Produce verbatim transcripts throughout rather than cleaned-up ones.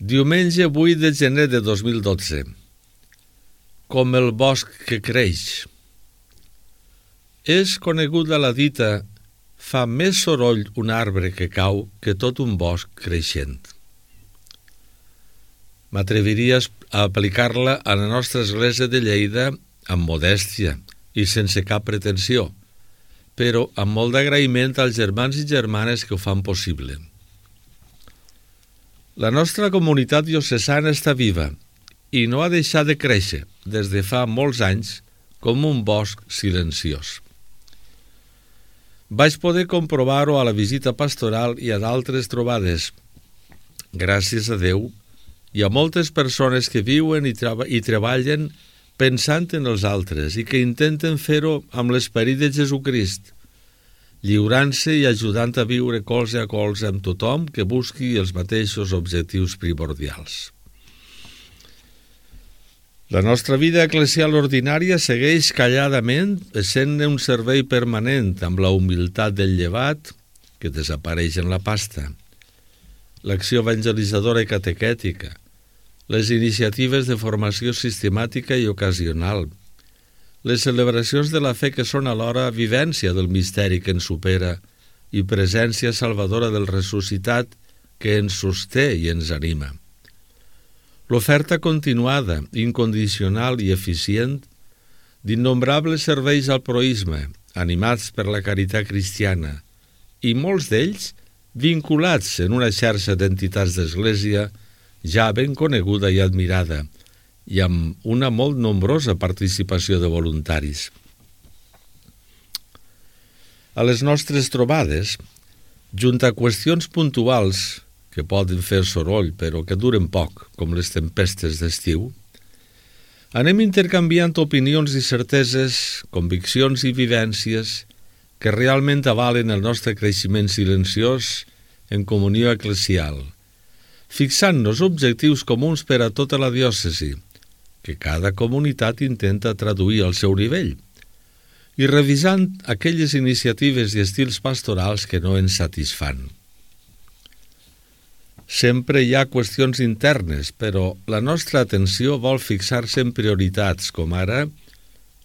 Diumenge vuit de gener de dos mil dotze. Com el bosc que creix. És coneguda la dita «fa més soroll un arbre que cau que tot un bosc creixent». M'atreviria a aplicar-la a la nostra església de Lleida amb modèstia i sense cap pretensió, però amb molt d'agraïment als germans i germanes que ho fan possible. La nostra comunitat diocesana està viva i no ha deixat de créixer des de fa molts anys com un bosc silenciós. Vaig poder comprovar-ho a la visita pastoral i a d'altres trobades. Gràcies a Déu, hi ha moltes persones que viuen i, treba- i treballen pensant en els altres i que intenten fer-ho amb l'esperit de Jesucrist, lliurant-se i ajudant a viure colze a colze amb tothom que busqui els mateixos objectius primordials. La nostra vida eclesial ordinària segueix calladament essent un servei permanent amb la humilitat del llevat que desapareix en la pasta, l'acció evangelitzadora i catequètica, les iniciatives de formació sistemàtica i ocasional, les celebracions de la fe que són alhora vivència del misteri que ens supera i presència salvadora del ressuscitat que ens sosté i ens anima. L'oferta continuada, incondicional i eficient d'innombrables serveis al proïsme, animats per la caritat cristiana, i molts d'ells vinculats en una xarxa d'entitats d'església ja ben coneguda i admirada, i amb una molt nombrosa participació de voluntaris. A les nostres trobades, junt a qüestions puntuals que poden fer soroll però que duren poc, com les tempestes d'estiu, anem intercanviant opinions i certeses, conviccions i vivències que realment avalen el nostre creixement silenciós en comunió eclesial, fixant-nos objectius comuns per a tota la diòcesi, que cada comunitat intenta traduir al seu nivell, i revisant aquelles iniciatives i estils pastorals que no ens satisfan. Sempre hi ha qüestions internes, però la nostra atenció vol fixar-se en prioritats, com ara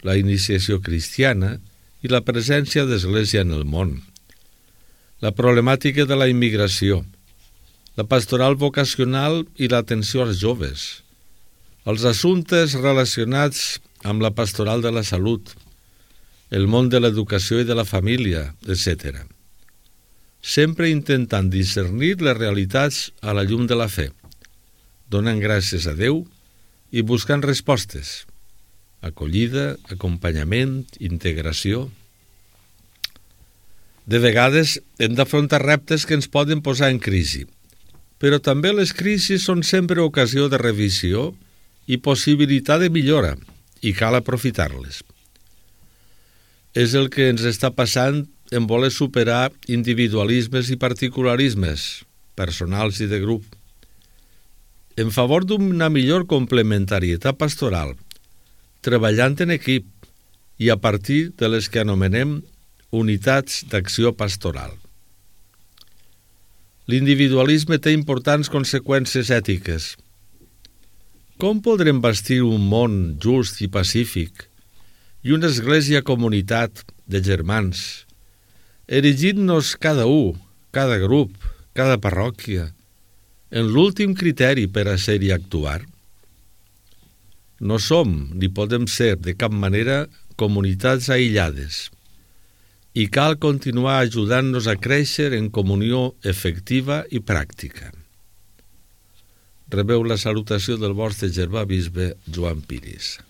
la iniciació cristiana i la presència d'església en el món, la problemàtica de la immigració, la pastoral vocacional i l'atenció als joves, els assumptes relacionats amb la pastoral de la salut, el món de l'educació i de la família, etcètera. Sempre intentant discernir les realitats a la llum de la fe, donant gràcies a Déu i buscant respostes, acollida, acompanyament, integració. De vegades hem d'afrontar reptes que ens poden posar en crisi, però també les crisis són sempre ocasió de revisió i possibilitat de millora, i cal aprofitar-les. És el que ens està passant en voler superar individualismes i particularismes, personals i de grup, en favor d'una millor complementarietat pastoral, treballant en equip i a partir de les que anomenem unitats d'acció pastoral. L'individualisme té importants conseqüències ètiques. Com podrem bastir un món just i pacífic i una església comunitat de germans, erigint-nos cada un, cada grup, cada parròquia, en l'últim criteri per a ser i actuar? No som, ni podem ser de cap manera, comunitats aïllades, i cal continuar ajudant-nos a créixer en comunió efectiva i pràctica. Rebeu la salutació del vostre germà bisbe Joan Piris.